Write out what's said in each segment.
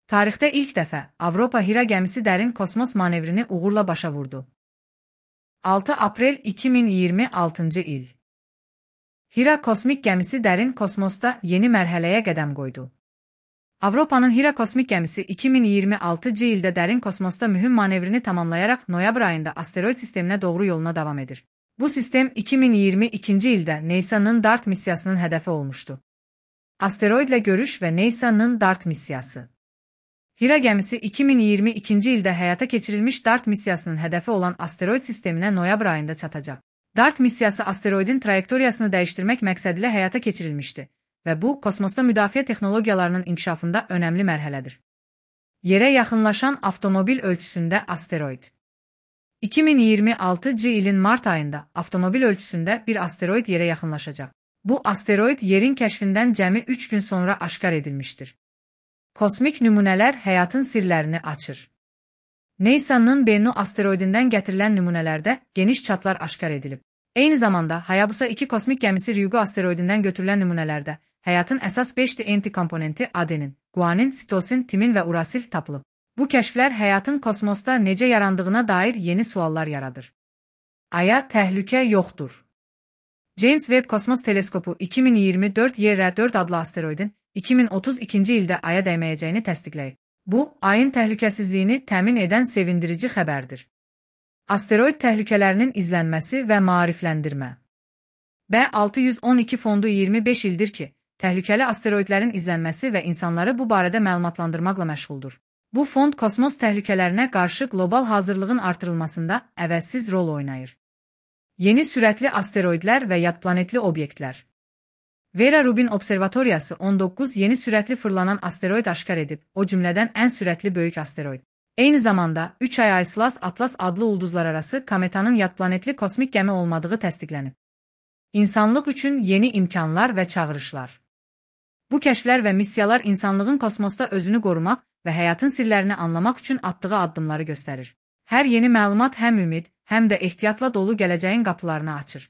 Tarixdə ilk dəfə Avropa Hira gəmisi dərin kosmos manevrini uğurla başa vurdu. 6 aprel 2026-cı il. Hira kosmik gəmisi dərin kosmosda yeni mərhələyə qədəm qoydu. Avropanın Hira kosmik gəmisi 2026-cı ildə dərin kosmosda mühüm manevrini tamamlayaraq noyabr ayında asteroid sisteminə doğru yoluna davam edir. Bu sistem 2022-ci ildə NASA'nın DART missiyasının hədəfi olmuşdu. Asteroidlə görüş və NASA'nın DART missiyası. Hira gəmisi 2022-ci ildə həyata keçirilmiş DART missiyasının hədəfi olan asteroid sisteminə noyabr ayında çatacaq. DART missiyası asteroidin trayektoriyasını dəyişdirmək məqsədilə həyata keçirilmişdi və bu, kosmosda müdafiə texnologiyalarının inkişafında önəmli mərhələdir. Yerə yaxınlaşan avtomobil ölçüsündə asteroid. 2026-cı ilin mart ayında avtomobil ölçüsündə bir asteroid yerə yaxınlaşacaq. Bu asteroid yerin kəşfindən cəmi 3 gün sonra aşkar edilmişdir. Kosmik nümunələr həyatın sirlərini açır. NASA'nın Bennu asteroidindən gətirilən nümunələrdə geniş çatlar aşkar edilib. Eyni zamanda Hayabusa 2 kosmik gəmisi Ryugu asteroidindən götürülən nümunələrdə həyatın əsas 5 DNT komponenti adenin, guanin, sitosin, timin və urasil tapılıb. Bu kəşflər həyatın kosmosda necə yarandığına dair yeni suallar yaradır. Aya təhlükə yoxdur. James Webb Kosmos Teleskopu 2024 YR4 adlı asteroidin 2032-ci ildə Aya dəyməyəcəyini təsdiqləyib. Bu, Ayın təhlükəsizliyini təmin edən sevindirici xəbərdir. Asteroid təhlükələrinin izlənməsi və maarifləndirmə. B612 fondu 25 ildir ki, təhlükəli asteroidlərin izlənməsi və insanları bu barədə məlumatlandırmaqla məşğuldur. Bu fond kosmos təhlükələrinə qarşı qlobal hazırlığın artırılmasında əvəzsiz rol oynayır. Yeni sürətli asteroidlər və yadplanetli obyektlər. Vera Rubin Observatoriyası 19 yeni sürətli fırlanan asteroid aşkar edib, o cümlədən ən sürətli böyük asteroid. Eyni zamanda 3 ay Ayslas Atlas adlı ulduzlararası kometanın yadplanetli kosmik gəmi olmadığı təsdiqlənib. İnsanlıq üçün yeni imkanlar və çağırışlar. Bu kəşflər və missiyalar insanlığın kosmosda özünü qorumaq və həyatın sirlərini anlamaq üçün atdığı addımları göstərir. Hər yeni məlumat həm ümid, həm də ehtiyatla dolu gələcəyin qapılarını açır.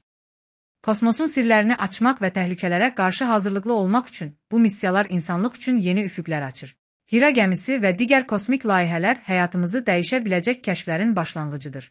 Kosmosun sirlərini açmaq və təhlükələrə qarşı hazırlıqlı olmaq üçün bu missiyalar insanlıq üçün yeni üfüqlər açır. Hira gəmisi və digər kosmik layihələr həyatımızı dəyişə biləcək kəşflərin başlanğıcıdır.